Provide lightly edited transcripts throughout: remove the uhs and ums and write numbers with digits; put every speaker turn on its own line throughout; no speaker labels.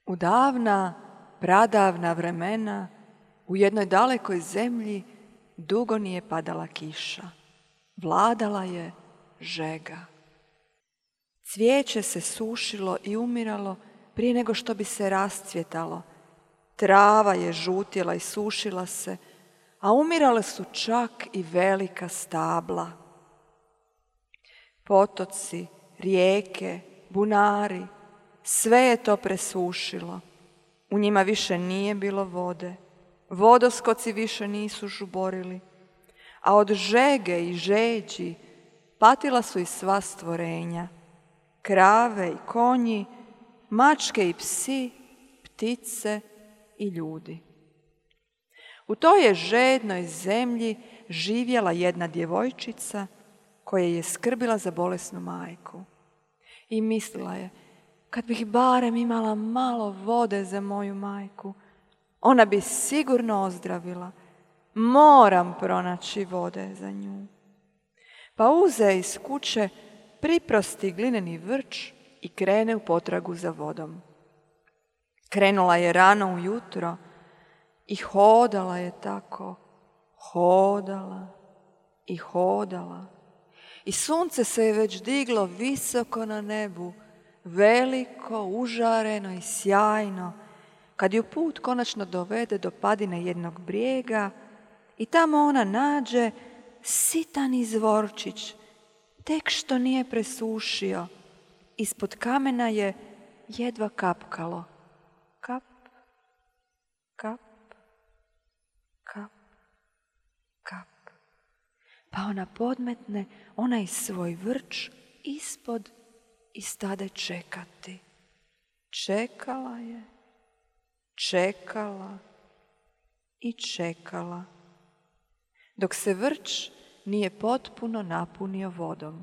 U davna, pradavna vremena, u jednoj dalekoj zemlji dugo nije padala kiša. Vladala je žega. Cvijeće se sušilo i umiralo prije nego što bi se rascvjetalo. Trava je žutjela i sušila se, a umirale su čak i velika stabla. Potoci, rijeke, bunari, sve je to presušilo. U njima više nije bilo vode. Vodoskoci više nisu žuborili. A od žege i žeđi patila su i sva stvorenja. Krave i konji, mačke i psi, ptice i ljudi. U toj je žednoj zemlji živjela jedna djevojčica koja je skrbila za bolesnu majku. I mislila je, kad bih barem imala malo vode za moju majku, ona bi sigurno ozdravila. Moram pronaći vode za nju. Pa uze iz kuće priprosti glineni vrč i krene u potragu za vodom. Krenula je rano ujutro i hodala je tako, hodala i hodala. I sunce se je već diglo visoko na nebu, veliko, užareno i sjajno, kad ju put konačno dovede do padine jednog brijega i tamo ona nađe sitan izvorčić, tek što nije presušio. Ispod kamena je jedva kapkalo. Kap, kap, kap, kap. Pa ona podmetne onaj svoj vrč ispod i stade čekati. Čekala je, čekala i čekala, dok se vrč nije potpuno napunio vodom.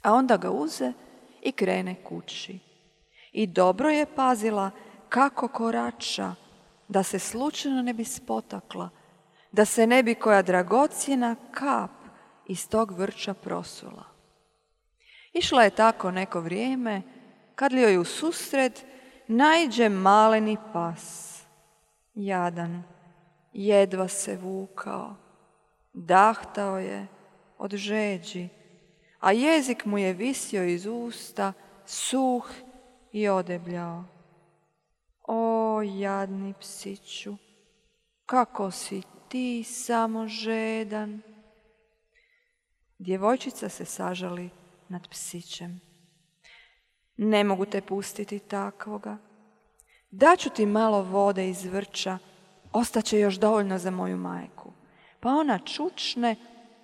A onda ga uze i krene kući. I dobro je pazila kako korača, da se slučajno ne bi spotakla, da se ne bi koja dragocjena kap iz tog vrča prosula. Išla je tako neko vrijeme, kad li joj u susret naiđe maleni pas. Jadan, jedva se vukao, dahtao je od žeđi, a jezik mu je visio iz usta, suh i odebljao. O, jadni psiću, kako si ti samo žedan. Djevojčica se sažali nad psićem. Ne mogu te pustiti takvoga. Daću ti malo vode iz vrča, ostaće još dovoljno za moju majku. Pa ona čučne,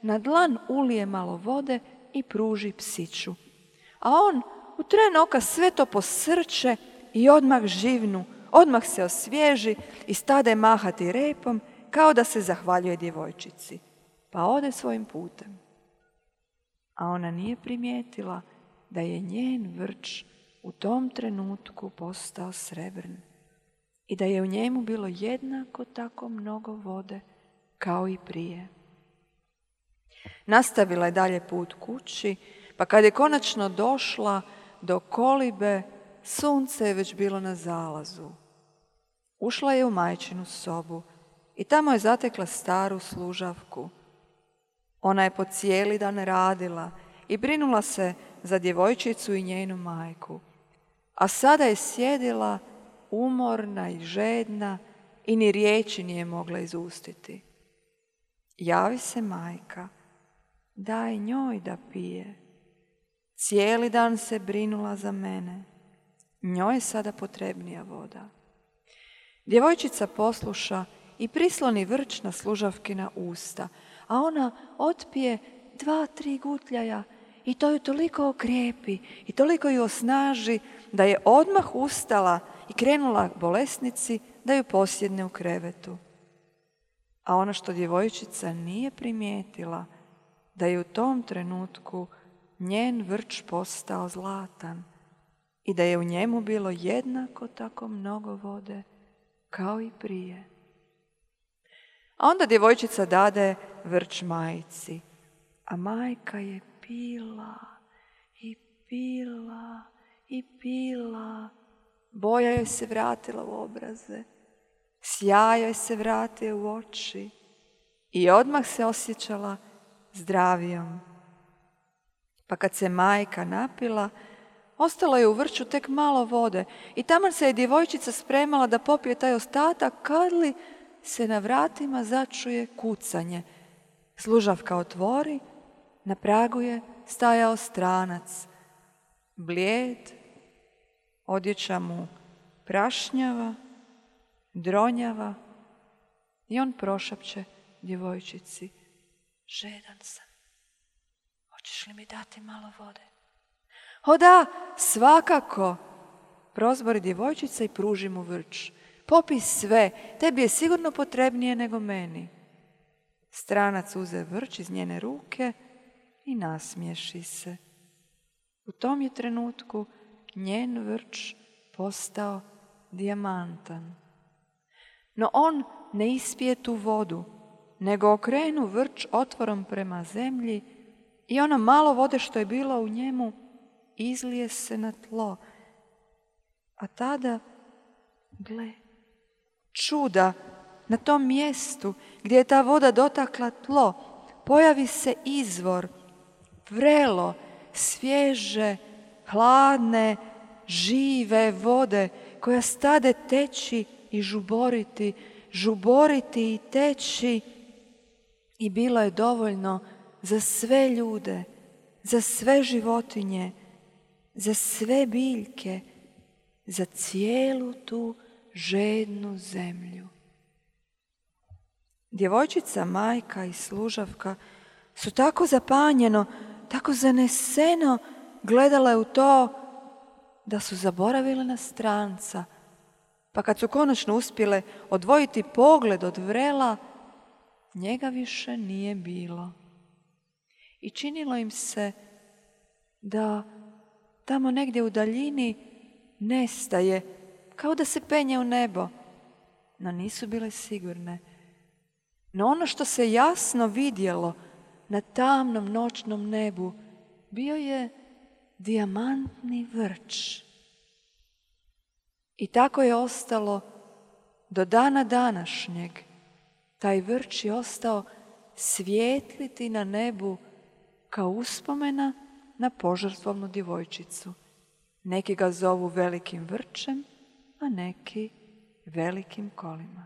na dlan ulije malo vode i pruži psiću. A on u tren oka sve to posrče i odmah živnu, odmah se osvježi i stade mahati repom kao da se zahvaljuje djevojčici. Pa ode svojim putem. A ona nije primijetila da je njen vrč u tom trenutku postao srebrn i da je u njemu bilo jednako tako mnogo vode kao i prije. Nastavila je dalje put kući, pa kad je konačno došla do kolibe, sunce je već bilo na zalazu. Ušla je u majčinu sobu i tamo je zatekla staru služavku. Ona je po cijeli dan radila i brinula se za djevojčicu i njenu majku, a sada je sjedila umorna i žedna i ni riječi nije mogla izustiti. Javi se majka, daj njoj da pije. Cijeli dan se brinula za mene, njoj je sada potrebnija voda. Djevojčica posluša i prisloni vrč na služavkina usta, a ona otpije 2-3 gutljaja i to ju toliko okrijepi i toliko ju osnaži da je odmah ustala i krenula bolesnici da ju posjedne u krevetu. A ono što djevojčica nije primijetila, da je u tom trenutku njen vrč postao zlatan i da je u njemu bilo jednako tako mnogo vode kao i prije. A onda djevojčica dade vrč majci, a majka je pila i pila i pila, Boja joj se vratila u obraze, sjaj joj se vratio u oči i odmah se osjećala zdravijom. Pa kad se majka napila, ostalo je u vrču tek malo vode i taman se je djevojčica spremala da popije taj ostatak, kad li se na vratima začuje kucanje. Služavka otvori, na pragu je stajao stranac, blijed, odjeća mu prašnjava, dronjava i on prošapće djevojčici: žedan sam, hoćeš li mi dati malo vode? O da, svakako, prozbori djevojčica i pruži mu vrč. Popij sve, tebi je sigurno potrebnije nego meni. Stranac uze vrč iz njene ruke i nasmiješi se. U tom je trenutku njen vrč postao dijamantan. No on ne ispije tu vodu, nego okrenu vrč otvorom prema zemlji i ono malo vode što je bilo u njemu izlije se na tlo. A tada, gle, čuda, na tom mjestu gdje je ta voda dotakla tlo, pojavi se izvor, vrelo, svježe, hladne, žive vode koja stade teći i žuboriti, žuboriti i teći. I bilo je dovoljno za sve ljude, za sve životinje, za sve biljke, za cijelu tu žednu zemlju. Djevojčica, majka i služavka su tako zapanjeno, tako zaneseno gledale u to da su zaboravile na stranca. Pa kad su konačno uspjele odvojiti pogled od vrela, njega više nije bilo. I činilo im se da tamo negdje u daljini nestaje, kao da se penje u nebo, no nisu bile sigurne. No ono što se jasno vidjelo na tamnom noćnom nebu bio je dijamantni vrč. I tako je ostalo do dana današnjeg. Taj vrč je ostao svijetliti na nebu kao uspomena na požrtvovnu djevojčicu. Neki ga zovu velikim vrčem, a neki velikim kolima.